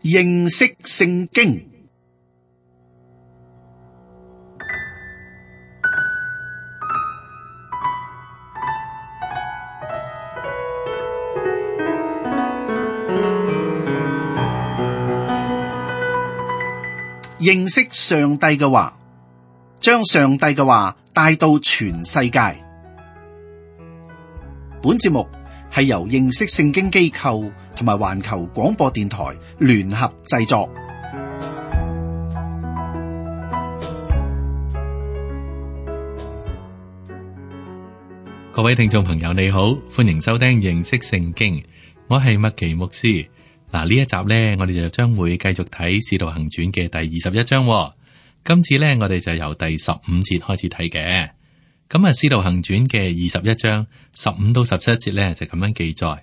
認識聖經。認識上帝嘅話，將上帝嘅話帶到全世界。本節目係由認識聖經機構同埋環球廣播電台聯合製作。各位聽眾朋友，你好，歡迎收聽認識聖經，我係麥奇牧師。嗱，呢一集呢，我哋就將會繼續睇《使徒行傳》嘅第21章。今次呢，我哋就由第15節開始睇嘅。咁啊，《使徒行傳》嘅21章15到17節呢，就咁樣記載：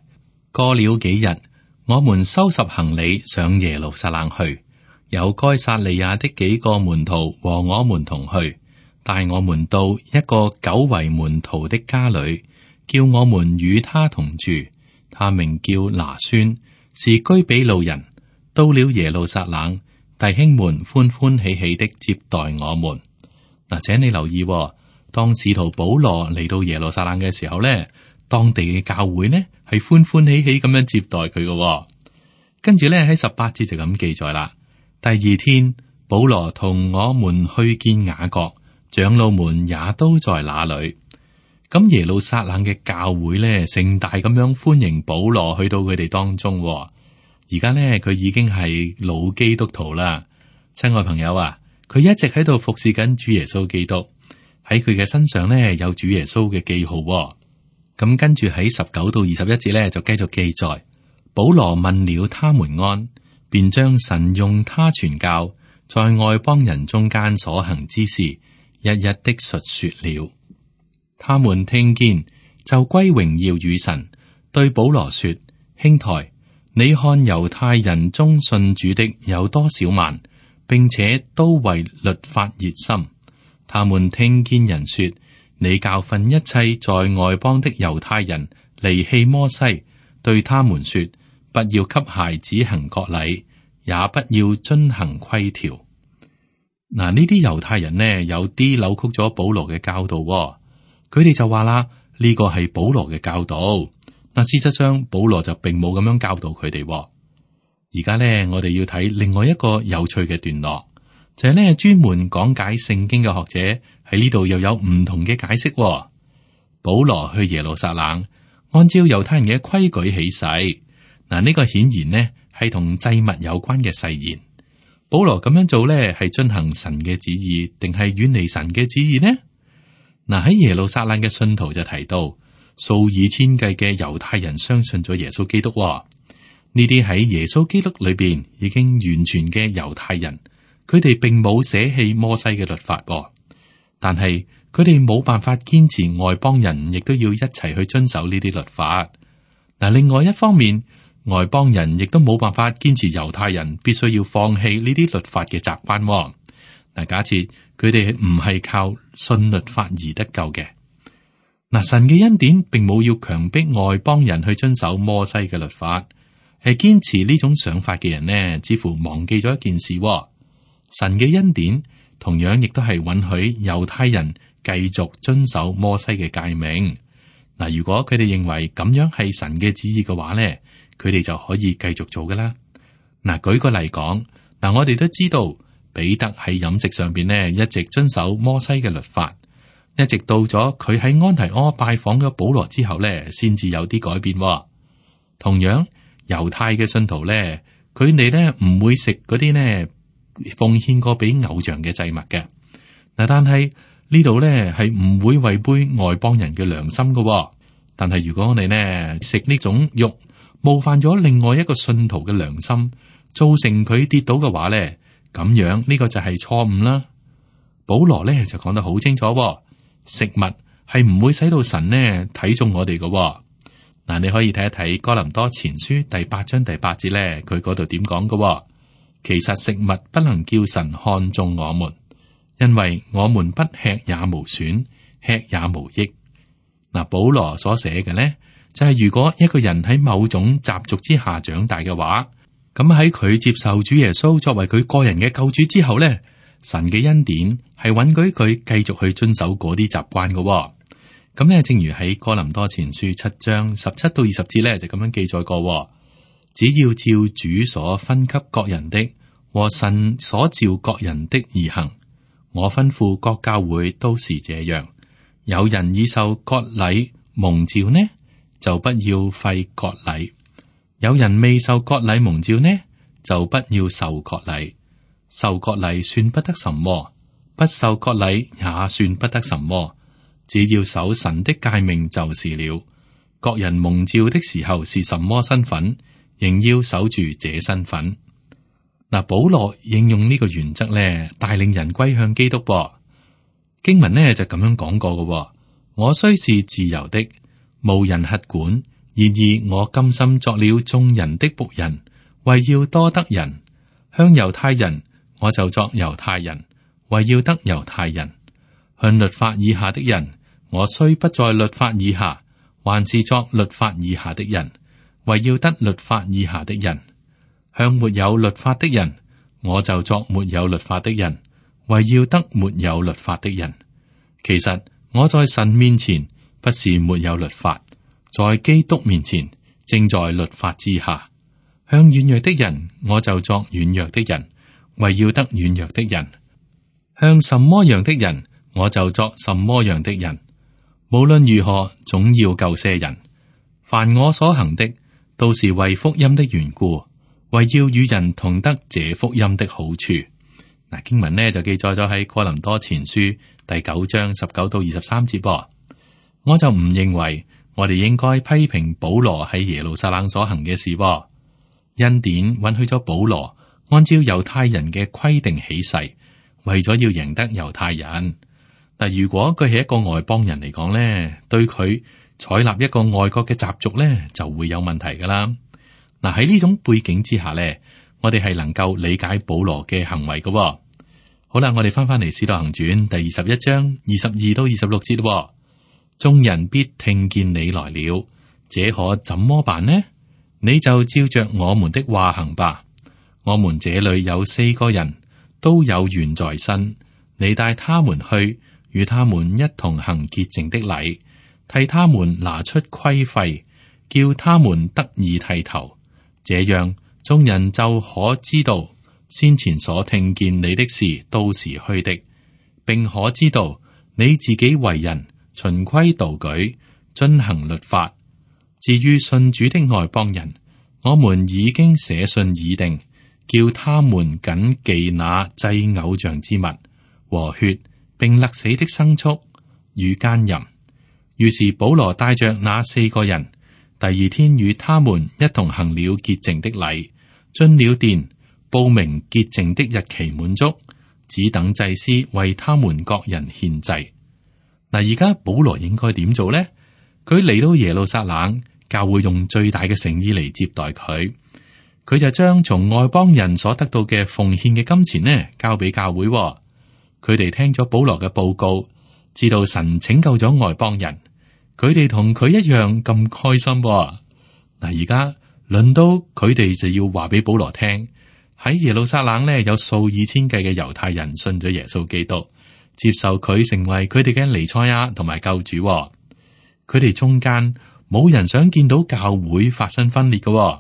過了幾日，我們收拾行李上耶路撒冷去，有該撒利亞的幾個門徒和我們同去，帶我們到一個久為門徒的家裏，叫我們與他同住。他名叫拿孫，是居比路人。到了耶路撒冷，弟兄們歡歡喜喜的接待我們。嗱，請你留意，當使徒保羅嚟到耶路撒冷嘅時候呢，當地嘅教會呢係歡歡喜喜咁樣接待佢嘅。跟住呢喺18節就咁記載啦。第二天，保羅同我們去見雅各，長老們也都在那裏。咁耶路撒冷嘅教會呢，盛大咁樣歡迎保羅去到佢哋當中。而家呢，佢已經係老基督徒啦。親愛朋友啊，佢一直喺度服侍緊主耶穌基督，喺佢嘅身上呢，有主耶穌嘅記號。咁跟住喺19到21節呢，就繼續記載，保羅問了他們安，便將神用他傳教在外邦人中間所行之事一一的述說了。他們聽見，就歸榮耀與神，對保羅說：兄台，你看猶太人中信主的有多少萬，並且都為律法熱心。他們聽見人說，你教訓一切在外邦的猶太人離棄摩西，對他們說，不要給孩子行割禮，也不要遵行規條。嗱，呢啲猶太人呢，有啲扭曲咗保羅嘅教導。佢哋就話啦，呢個係保羅嘅教導。嗱，事實上保羅就並冇咁樣教導佢哋。而家呢，我哋要睇另外一個有趣嘅段落，就係呢專門講解聖經嘅學者喺呢度又有唔同嘅解釋。保羅去耶路撒冷，按照猶太人嘅規矩起誓。嗱，呢個顯然呢係同祭物有關嘅誓言。保羅咁樣做呢，係遵行神嘅旨意，定係遠離神嘅旨意呢？嗱，喺耶路撒冷嘅信徒就提到，數以千計嘅猶太人相信咗耶穌基督。呢啲喺耶穌基督裏邊已經完全嘅猶太人，佢哋並冇捨棄摩西嘅律法，但係佢哋冇辦法堅持外邦人亦都要一齊去遵守呢啲律法。嗱，另外一方面，外邦人亦都冇辦法堅持猶太人必須要放棄呢啲律法嘅習慣。嗱，假設佢哋唔係靠信律法而得救嘅，嗱，神嘅恩典並冇要強迫外邦人去遵守摩西嘅律法，係堅持呢種想法嘅人呢，似乎忘記咗一件事。神嘅恩典同樣亦都係允許猶太人繼續遵守摩西嘅誡命。嗱，如果佢哋認為咁樣係神嘅旨意嘅話呢，佢哋就可以繼續做噶啦。嗱，舉個例講，嗱，我哋都知道。彼得喺飲食上邊呢，一直遵守摩西嘅律法，一直到咗佢喺安提阿拜訪咗保羅之後呢，先至有啲改變。同樣，猶太嘅信徒呢，佢哋呢唔會食嗰啲呢奉獻過俾偶像嘅祭物嘅。嗱，但係呢度呢係唔會違背外邦人嘅良心噶。但係如果我哋呢食呢種肉，冒犯咗另外一個信徒嘅良心，造成佢跌倒嘅話呢，咁樣呢個就係錯誤啦。保羅呢就講得好清楚，食物係唔會使到神呢睇中我哋嘅。嗱，你可以睇一睇哥林多前書第8章第8節呢，佢嗰度點講嘅。其實食物不能叫神看中我們，因為我們不吃也無損，吃也無益。嗱，保羅所寫嘅呢，就係如果一個人喺某種習俗之下長大嘅話，咁喺佢接受主耶穌作為佢個人嘅救主之後呢，神嘅恩典係允許佢繼續去遵守嗰啲習慣嘅。咁呢，正如喺哥林多前書7章17到20節呢，就咁樣記載過。只要照主所分給各人的和神所召各人的而行。我吩咐各教會都是這樣。有人已受割禮蒙召呢，就不要廢割禮；有人未受割禮蒙召呢，就不要受割禮。受割禮算不得什麼，不受割禮也算不得什麼。只要守神的誡命就是了。各人蒙召的時候是什麼身份，仍要守住這身份。嗱，保羅應用呢個原則咧，帶領人歸向基督噃。經文呢就咁樣講過嘅。我雖是自由的，無人轄管，然而我甘心作了眾人的僕人，為要多得人。向猶太人，我就作猶太人，為要得猶太人；向律法以下的人，我雖不在律法以下，還是作律法以下的人，為要得律法以下的人；向沒有律法的人，我就作沒有律法的人，為要得沒有律法的人。其實我在神面前不是沒有律法，在基督面前正在律法之下。向軟弱的人，我就作軟弱的人，為要得軟弱的人；向什麼樣的人，我就作什麼樣的人。無論如何，總要救些人。凡我所行的，都是為福音的緣故，為要與人同得這福音的好處。嗱，經文呢就記載咗喺哥林多前書第9章19到23節噃。我就唔認為我哋應該批評保羅喺耶路撒冷所行嘅事噃。恩典允許咗保羅按照猶太人嘅規定起誓，為咗要贏得猶太人。但如果佢係一個外邦人嚟講咧，對佢採納一個外國嘅習俗咧，就會有問題噶啦。嗱，喺呢種背景之下咧，我哋係能夠理解保羅嘅行為噶。好啦，我哋翻嚟《使徒行傳》第21章22到26節。眾人必聽見你來了，這可怎麼辦呢？你就照着我們的話行吧。我們這裏有4個人，都有緣在身，你帶他們去，與他們一同行潔淨的禮，替他們拿出規費，叫他們得以剃頭。這樣眾人就可知道先前所聽見你的事都是虛的，並可知道你自己為人循規蹈矩，遵行律法。至於信主的外邦人，我們已經寫信已定，叫他們謹記那祭偶像之物和血，並勒死的牲畜與奸淫。於是保羅帶着那4個人，第二天與他們一同行了潔淨的禮，進了殿，報明潔淨的日期滿足，只等祭司為他們各人獻祭。嗱，而家保羅應該點做呢？佢嚟到耶路撒冷，教會用最大嘅誠意嚟接待佢，佢就將從外邦人所得到嘅奉獻嘅金錢呢，交俾教會。佢哋聽咗保羅嘅報告，知道神拯救咗外邦人，佢哋同佢一樣咁開心。嗱，而家輪到佢哋就要話俾保羅聽，喺耶路撒冷呢，有數以千計嘅猶太人信咗耶穌基督，接受佢成為佢哋嘅彌賽亞同埋救主。佢哋中間冇人想見到教會發生分裂嘅。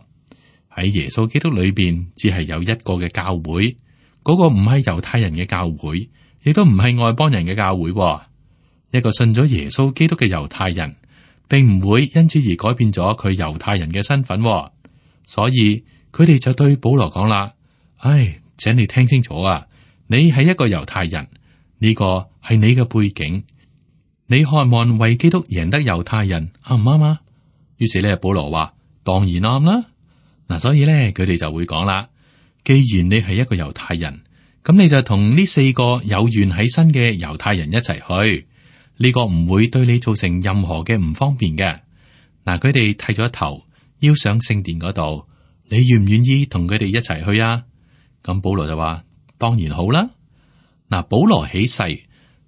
喺耶穌基督裏邊，只係有一個嘅教會，嗰個唔係猶太人嘅教會，亦都唔係外邦人嘅教會。一個信咗耶穌基督嘅猶太人，並唔會因此而改變咗佢猶太人嘅身份。所以佢哋就對保羅講啦：唉，請你聽清楚啊！你係一個猶太人，呢個係你嘅背景。你渴望為基督贏得猶太人，啱唔啱啊？於是咧，保羅話：當然啱啦。嗱，所以咧，佢哋就會講啦：既然你係一個猶太人，咁你就同呢4個有緣喺身嘅猶太人一齊去，呢個唔會對你造成任何嘅唔方便嘅。嗱，佢哋剃咗頭，要上聖殿嗰度，你願唔願意同佢哋一齊去啊？咁保羅就話：當然好啦。嗱，保羅起誓，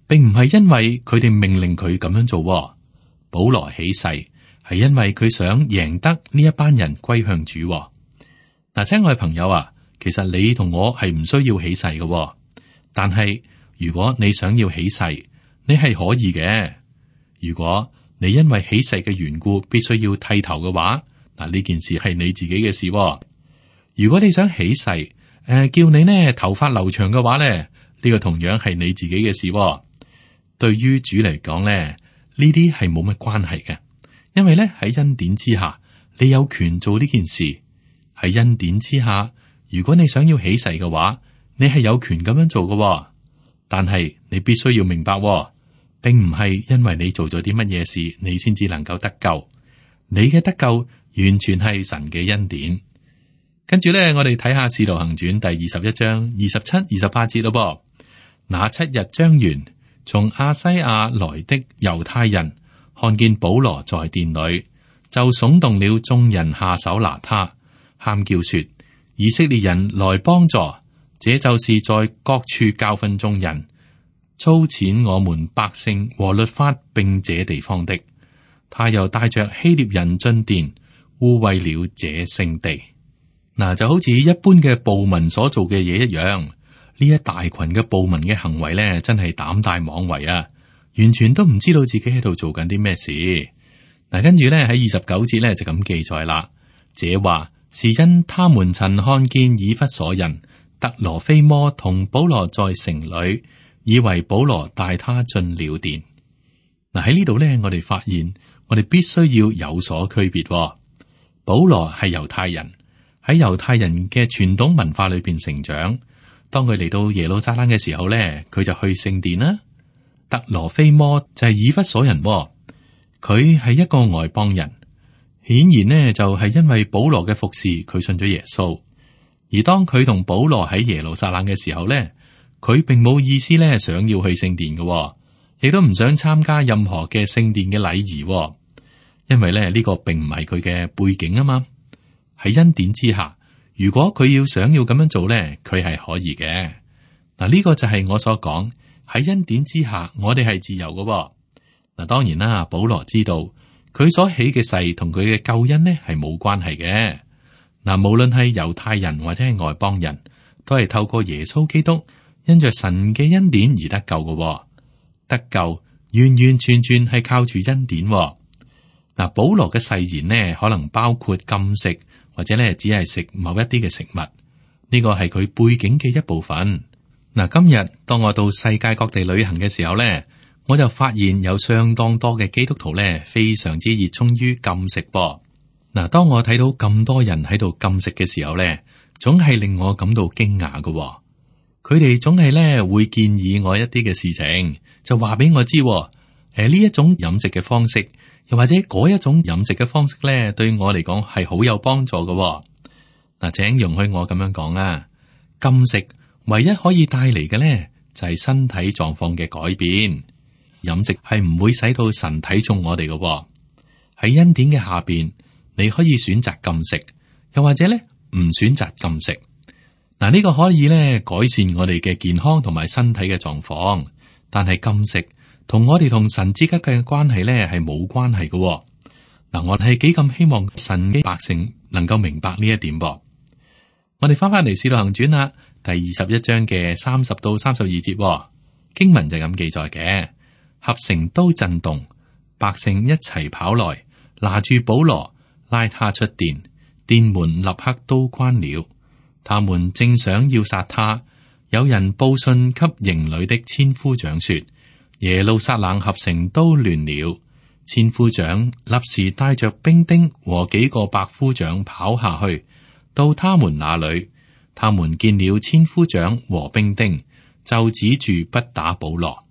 並唔係因為佢哋命令佢咁樣做。保羅起誓係因為佢想贏得呢一班人歸向主。嗱，親愛朋友啊，其實你同我係唔需要起誓嘅，但係如果你想要起誓，你係可以嘅。如果你因為起誓嘅緣故必須要剃頭嘅話，嗱，呢件事係你自己嘅事。如果你想起誓，叫你呢頭髮留長嘅話咧，呢個同樣係你自己嘅事。對於主嚟講咧，呢啲係冇乜關係嘅，因為咧喺恩典之下，你有權做呢件事。喺恩典之下，如果你想要起誓嘅話，你係有權咁樣做嘅。但係你必須要明白，並唔係因為你做咗啲乜嘢事，你先至能夠得救。你嘅得救完全係神嘅恩典。跟住咧，我哋睇下《使徒行傳》第21章27、28節咯噃。那7日將完，從亞西亞來的猶太人看見保羅在殿裏，就聳動了眾人下手拿他，喊叫說：以色列人來幫助，這就是在各處教訓眾人，操踐我們百姓和律法並這地方的。他又帶着希臘人進殿，污穢了這聖地。嗱，就好似一般嘅暴民所做嘅嘢一樣，呢一大群嘅暴民嘅行為咧，真係膽大妄為啊！完全都唔知道自己喺度做緊啲咩事。嗱，跟住咧喺29節咧就咁記載啦。這話是因他們曾看見以弗所人特羅非摩同保羅在城裏，以為保羅帶他進了殿。嗱，喺呢度咧，我哋發現我哋必須要有所區別。保羅係猶太人。喺猶太人嘅傳統文化裏邊成長，當佢嚟到耶路撒冷嘅時候咧，佢就去聖殿啦。特羅非摩就係以弗所人，佢係一個外邦人，顯然呢就係因為保羅嘅服侍，佢信咗耶穌。而當佢同保羅喺耶路撒冷嘅時候咧，佢並冇意思咧想要去聖殿嘅，亦都唔想參加任何嘅聖殿嘅禮儀，因為咧呢個並唔係佢嘅背景啊嘛。喺恩典之下，如果佢想要咁樣做咧，佢係可以嘅。嗱，呢個就係我所講，喺恩典之下，我哋係自由嘅。嗱，當然啦，保羅知道佢所起嘅誓同佢嘅救恩呢係冇關係嘅。嗱，無論係猶太人或者係外邦人，都係透過耶穌基督因着神嘅恩典而得救嘅。得救完完全全係靠住恩典。嗱，保羅嘅誓言呢，可能包括禁食。或者咧，只係食某一啲嘅食物，呢個係佢背景嘅一部分。嗱，今日當我到世界各地旅行嘅時候咧，我就發現有相當多嘅基督徒咧，非常之熱衷於禁食噃。嗱，當我睇到咁多人喺度禁食嘅時候咧，總係令我感到驚訝嘅。佢哋總係咧會建議我一啲嘅事情，就話俾我知，呢一種飲食嘅方式。又或者嗰一種飲食嘅方式咧，對我嚟講係好有幫助嘅。嗱，請容許我咁樣講啊，禁食唯一可以帶嚟嘅咧，就係身體狀況嘅改變。飲食係唔會使到神睇重我哋嘅。喺恩典嘅下邊，你可以選擇禁食，又或者咧唔選擇禁食。嗱，呢個可以咧改善我哋嘅健康同埋身體嘅狀況，但係禁食同我哋同神之間嘅關係咧係冇關係嘅。嗱，我係幾咁希望神嘅百姓能夠明白呢一點噃。我哋翻嚟《使徒行傳》啦，第21章嘅30到32節，經文就咁記載嘅。合城都震動，百姓一齊跑來，拿住保羅，拉他出殿，殿門立刻都關了。他們正想要殺他，有人報信給營裏的千夫長說，耶路撒冷合城都亂了。千夫長立時帶着兵丁和幾個百夫長跑下去，到他們那裏。他們見了千夫長和兵丁，就止住不打保羅。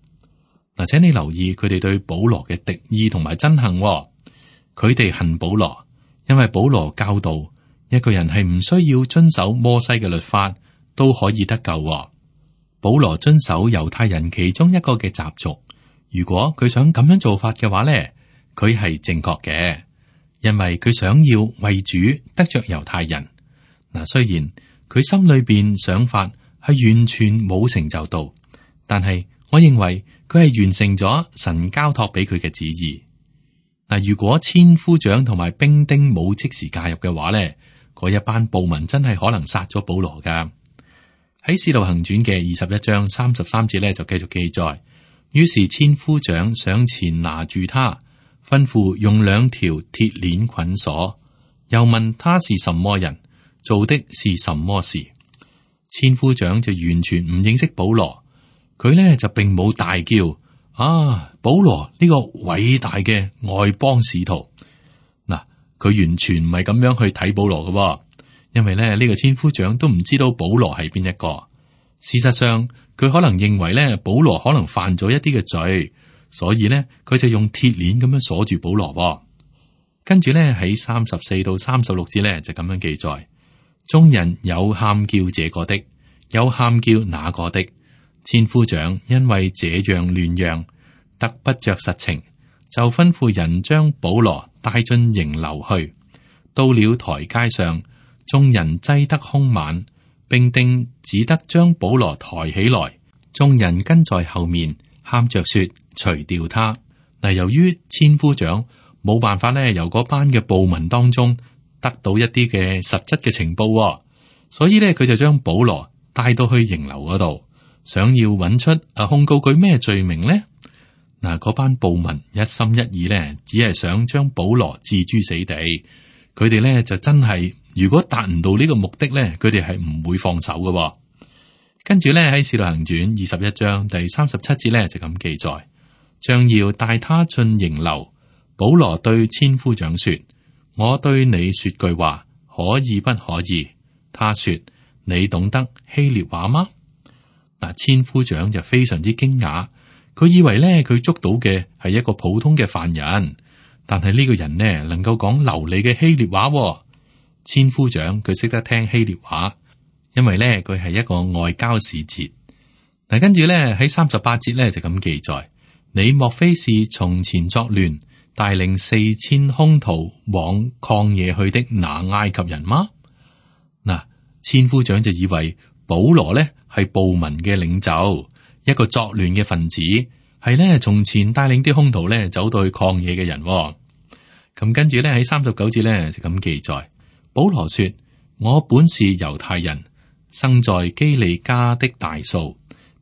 嗱，請你留意佢哋對保羅嘅敵意同埋憎恨。佢哋恨保羅，因為保羅教導一個人係唔需要遵守摩西嘅律法都可以得救。保羅遵守猶太人其中一個嘅習俗，如果佢想咁樣做法嘅話咧，佢係正確嘅，因為佢想要為主得着猶太人。嗱，雖然佢心裏邊想法係完全冇成就到，但係我認為佢係完成咗神交託俾佢嘅旨意。嗱，如果千夫長同埋兵丁冇即時介入嘅話咧，嗰一班暴民真係可能殺咗保羅噶。喺《使徒行傳》嘅21章33節咧就繼續記載，於是千夫長上前拿住他，吩咐用2條鐵鏈捆鎖，又問他是什麼人，做的是什麼事。千夫長就完全唔認識保羅，佢呢就並冇大叫啊，保羅呢個偉大嘅外邦使徒。嗱，佢完全唔係咁樣去睇保羅嘅，因為呢個千夫長都唔知道保羅係邊一個。事實上，佢可能認為呢保羅可能犯咗一啲嘅罪，所以呢佢就用鐵鏈咁樣鎖住保羅。跟住呢喺34到36節呢就咁樣記載。眾人有喊叫這個的，有喊叫那個的。千夫長因為這樣亂嚷，得不着實情，就吩咐人將保羅帶進營樓去。到了台階上，眾人擠得兇猛，並定只得將保羅抬起來。眾人跟在後面，喊着說：除掉他。嗱，由於千夫長冇辦法咧，由嗰班嘅暴民當中得到一啲嘅實質嘅情報，所以咧佢就將保羅帶到去營樓嗰度，想要揾出控告佢咩罪名呢？嗱，嗰班暴民一心一意咧，只係想將保羅置諸死地。佢哋咧就真係，如果達唔到呢個目的咧，佢哋係唔會放手嘅。跟住咧喺《使徒行傳》21章第37節咧就咁記載，將要帶他進營樓，保羅對千夫長說：我對你說句話，可以不可以？他說：你懂得希臘話嗎？嗱，千夫長就非常之驚訝，佢以為咧佢捉到嘅係一個普通嘅犯人，但係呢個人呢能夠講流利嘅希臘話。千夫長佢識得聽希臘話，因為咧佢係一個外交使節。嗱，跟住咧喺38節咧就咁記載：你莫非是從前作亂，帶領4000兇徒往曠野去的那埃及人嗎？嗱，千夫長就以為保羅呢係暴民嘅領袖，一個作亂嘅分子，係呢從前帶領啲兇徒呢走到去曠野嘅人。咁跟住呢喺39節呢就咁記載：保羅說：我本是猶太人，生在基利家的大數，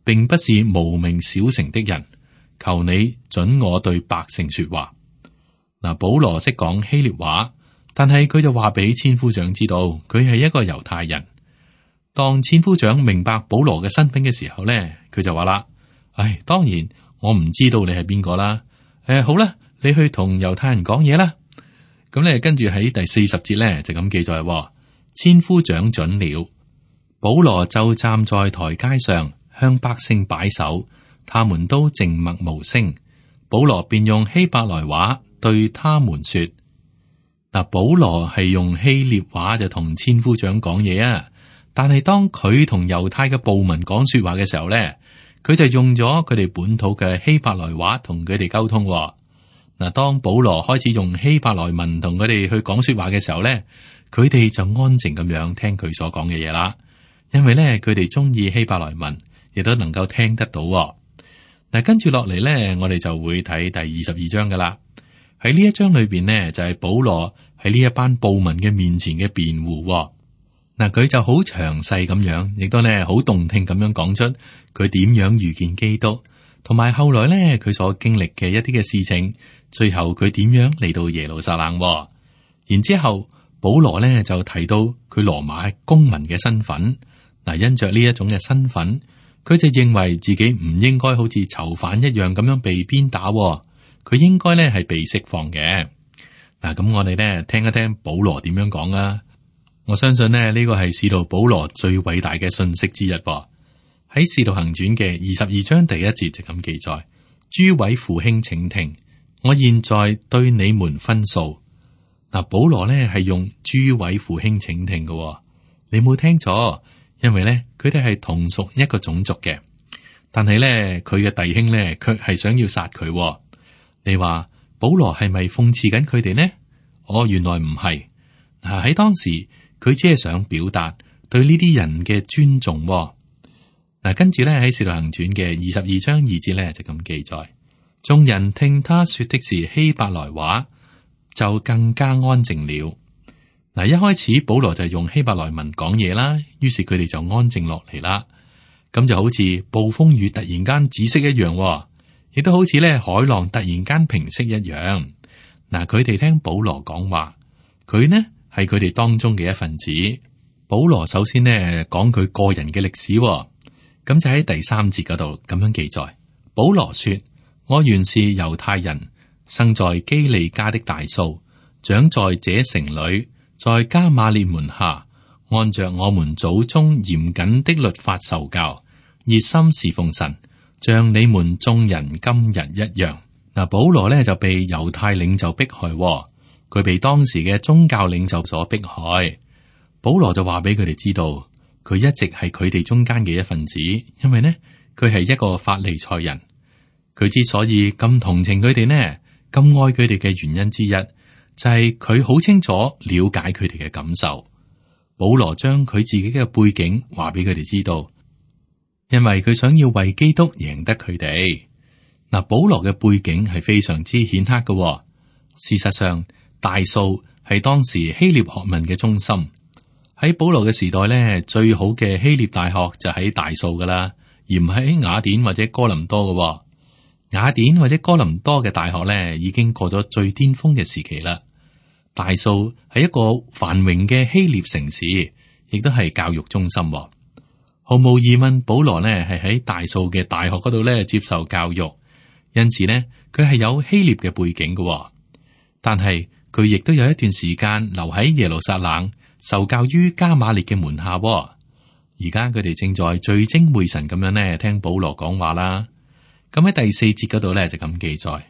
並不是無名小城的人。求你准我對百姓說話。嗱，保羅識講希臘話，但係佢就話俾千夫長知道，佢係一個猶太人。當千夫長明白保羅嘅身份嘅時候咧，佢就話啦：唉，當然我唔知道你係邊個啦。好啦，你去同猶太人講嘢啦。咁咧，跟住喺第40節咧就咁記載：千夫長准了，保羅就站在台階上向百姓擺手，他們都靜默無聲。保羅便用希伯來話對他們說：嗱，保羅係用希臘話就同千夫長講嘢啊，但係當佢同猶太嘅暴民講說話嘅時候咧，佢就用咗佢哋本土嘅希伯來話同佢哋溝通。嗱，當保羅開始用希伯來文同佢哋去講說話嘅時候咧，佢哋就安靜咁樣聽佢所講嘅嘢啦，因為咧佢哋中意希伯來文，亦都能夠聽得到。嗱，跟住落嚟咧，我哋就會睇第22章噶啦。喺呢一章裏邊呢，就係保羅喺呢一班暴民嘅面前嘅辯護。嗱，佢就好詳細咁樣，亦都呢好動聽咁樣講出佢點樣遇見基督，同埋後來呢佢所經歷嘅一啲嘅事情，最後佢點樣嚟到耶路撒冷。然之後保羅呢就提到佢羅馬公民嘅身份。嗱，因着呢一種嘅身份，佢就認為自己唔應該好似囚犯一樣咁樣被鞭打，佢應該呢係被釋放嘅。嗱，咁我哋呢聽一聽保羅點樣講啊！我相信呢個係使徒保羅最偉大嘅信息之一。喺使徒行傳嘅22章第1節就咁記載：諸位父兄請聽，我現在對你們分訴。嗱，保羅呢係用諸位父兄請聽嘅，你冇聽錯，因為呢佢哋係同屬一個種族嘅，但係呢佢嘅弟兄呢卻係想要殺佢。你話保羅係咪諷刺緊佢哋呢？原來唔係。喺當時佢只係想表達對呢啲人嘅尊重。跟住咧喺使徒行傳嘅22章2節咧就咁記載：眾人聽他說的是希伯來話，就更加安靜了。嗱，一開始保羅就用希伯來文講嘢啦，於是佢哋就安靜落嚟啦。咁就好似暴風雨突然間止息一樣，亦都好似咧海浪突然間平息一樣。嗱，佢哋聽保羅講話，佢呢係佢哋當中嘅一份子。保羅首先呢講佢個人嘅歷史，咁就喺第3節嗰度咁樣記載。保羅說：我原是猶太人，生在基利家的大數，長在這城裏，在加瑪列門下，按着我們祖宗嚴謹的律法受教，熱心侍奉神，像你們眾人今日一樣。嗱，保羅呢就被猶太領袖迫害，佢被當時嘅宗教領袖所迫害。保羅就話俾佢哋知道，佢一直係佢哋中間嘅一份子，因為呢佢係一個法利賽人。佢之所以咁同情佢哋呢，咁愛佢哋嘅原因之一，就係佢好清楚了解佢哋嘅感受。保羅將佢自己嘅背景話俾佢哋知道，因為佢想要為基督贏得佢哋。嗱，保羅嘅背景係非常之顯赫嘅。事實上，大數係當時希臘學問嘅中心。喺保羅嘅時代咧，最好嘅希臘大學就喺大數噶啦，而唔喺雅典或者哥林多嘅。雅典或者哥林多嘅大學咧，已經過咗最巔峰嘅時期啦。大數係一個繁榮嘅希臘城市，亦都係教育中心。毫無疑問，保羅呢係喺大數嘅大學嗰度咧接受教育，因此呢，佢係有希臘嘅背景嘅。但係佢亦都有一段時間留喺耶路撒冷，受教於加瑪列嘅門下。而家佢哋正在聚精會神咁樣呢聽保羅講話啦。咁喺第4節嗰度咧就咁記載：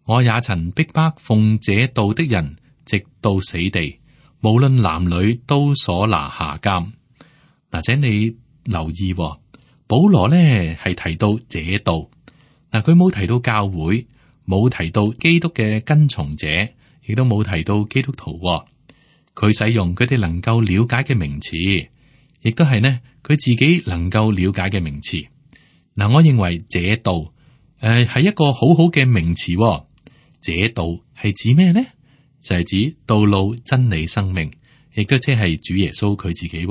我也曾逼迫奉這道的人，直到死地，無論男女都所拿下監。嗱，請你留意，保羅呢係提到這道，嗱，佢冇提到教會，冇提到基督嘅跟從者，亦都冇提到基督徒。佢使用佢哋能夠了解嘅名詞，亦都係呢佢自己能夠了解嘅名詞。嗱，我認為這道係一個好好嘅名詞。這道係指咩呢？就係指道路、真理、生命，亦都即係主耶穌佢自己。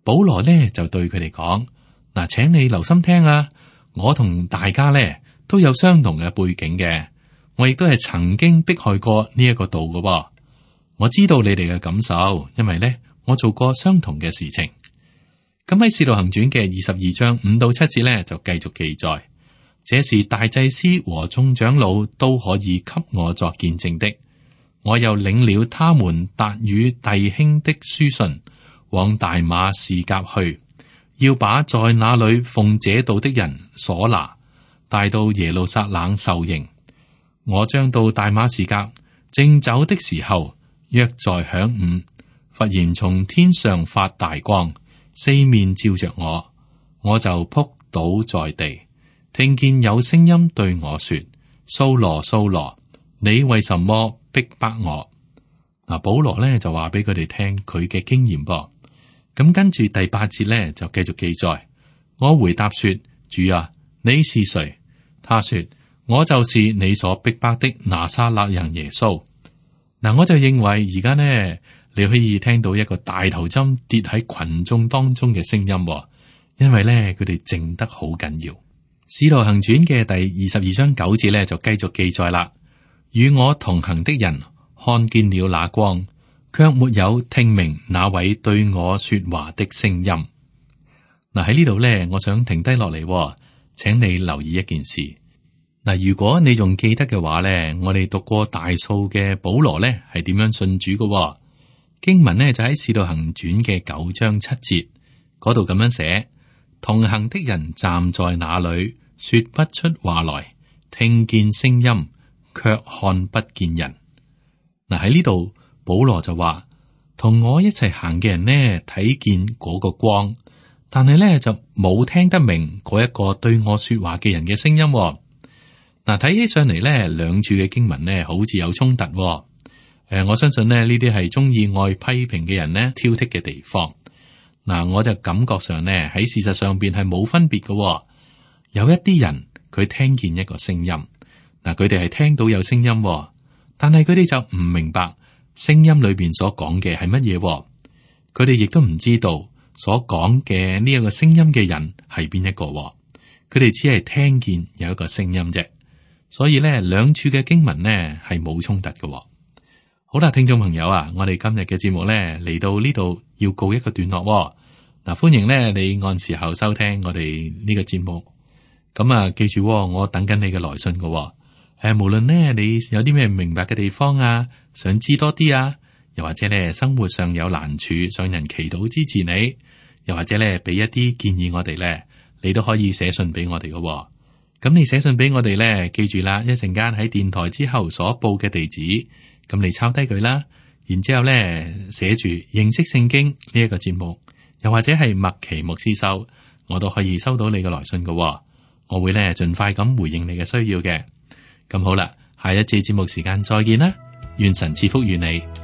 保羅呢就對佢哋講：嗱，請你留心聽啊！我同大家呢都有相同嘅背景嘅，我亦都係曾經迫害過呢一個道嘅。我知道你哋嘅感受，因為呢我做過相同嘅事情。咁喺《使徒行傳》嘅22章5到7節呢，就繼續記載：這是大祭司和眾長老都可以給我作見證的。我又領了他們達與弟兄的書信，往大馬士革去，要把在那裏奉這道的人所拿，帶到耶路撒冷受刑。我將到大馬士革，正走的時候，約在晌午，忽然從天上發大光，四面照着我，我就仆倒在地，聽見有聲音對我說：掃羅，掃羅，你為什麼逼迫我？嗱，保羅咧就話俾佢哋聽佢嘅經驗噃。咁跟住第8節咧就繼續記載：我回答說：主啊，你是誰？他說：我就是你所逼迫的拿撒勒人耶穌。嗱，我就認為而家呢，你可以聽到一個大頭針跌喺群眾當中嘅聲音，因為咧佢哋靜得好緊要。使徒行傳嘅第22章9節咧就繼續記載啦：與我同行的人看見了那光，卻沒有聽明那位對我說話的聲音。嗱，喺呢度咧，我想停低落嚟，請你留意一件事。嗱，如果你仲記得嘅話咧，我哋讀過大數嘅保羅咧係點樣信主嘅？經文呢，就喺使徒行傳嘅9章7節嗰度咁樣寫：同行的人站在那裏，說不出話來，聽見聲音，卻看不見人。嗱，喺呢度保羅就話，同我一齊行嘅人呢，睇見嗰個光，但係呢就冇聽得明嗰一個對我說話嘅人嘅聲音。嗱，睇起上嚟呢，兩處嘅經文呢，好似有衝突。我相信呢啲係中意愛批評嘅人呢挑剔嘅地方。嗱，我就感覺上呢喺事實上邊係冇分別嘅。有一啲人佢聽見一個聲音，嗱，佢哋係聽到有聲音，但係佢哋就唔明白聲音裏邊所講嘅係乜嘢，佢哋亦都唔知道所講嘅呢一個聲音嘅人係邊一個，佢哋只係聽見有一個聲音啫。所以咧，兩處嘅經文呢係冇衝突嘅。好啦，聽眾朋友啊，我哋今日嘅節目咧嚟到呢度要告一個段落。嗱，歡迎咧你按時候收聽我哋呢個節目。咁啊，記住，我等緊你嘅來信嘅。無論呢你有啲咩唔明白嘅地方啊，想知多啲啊，又或者咧生活上有難處，想人祈禱支持你，又或者咧俾一啲建議我哋咧，你都可以寫信俾我哋嘅。咁你寫信俾我哋咧，記住啦，一陣間喺電台之後所報嘅地址，咁你抄低佢啦，然之後咧寫住認識聖經呢一個節目，又或者係麥奇牧師收，我都可以收到你嘅來信嘅。我會咧盡快咁回應你嘅需要嘅。咁好啦，下一次節目時間再見啦，願神賜福於你。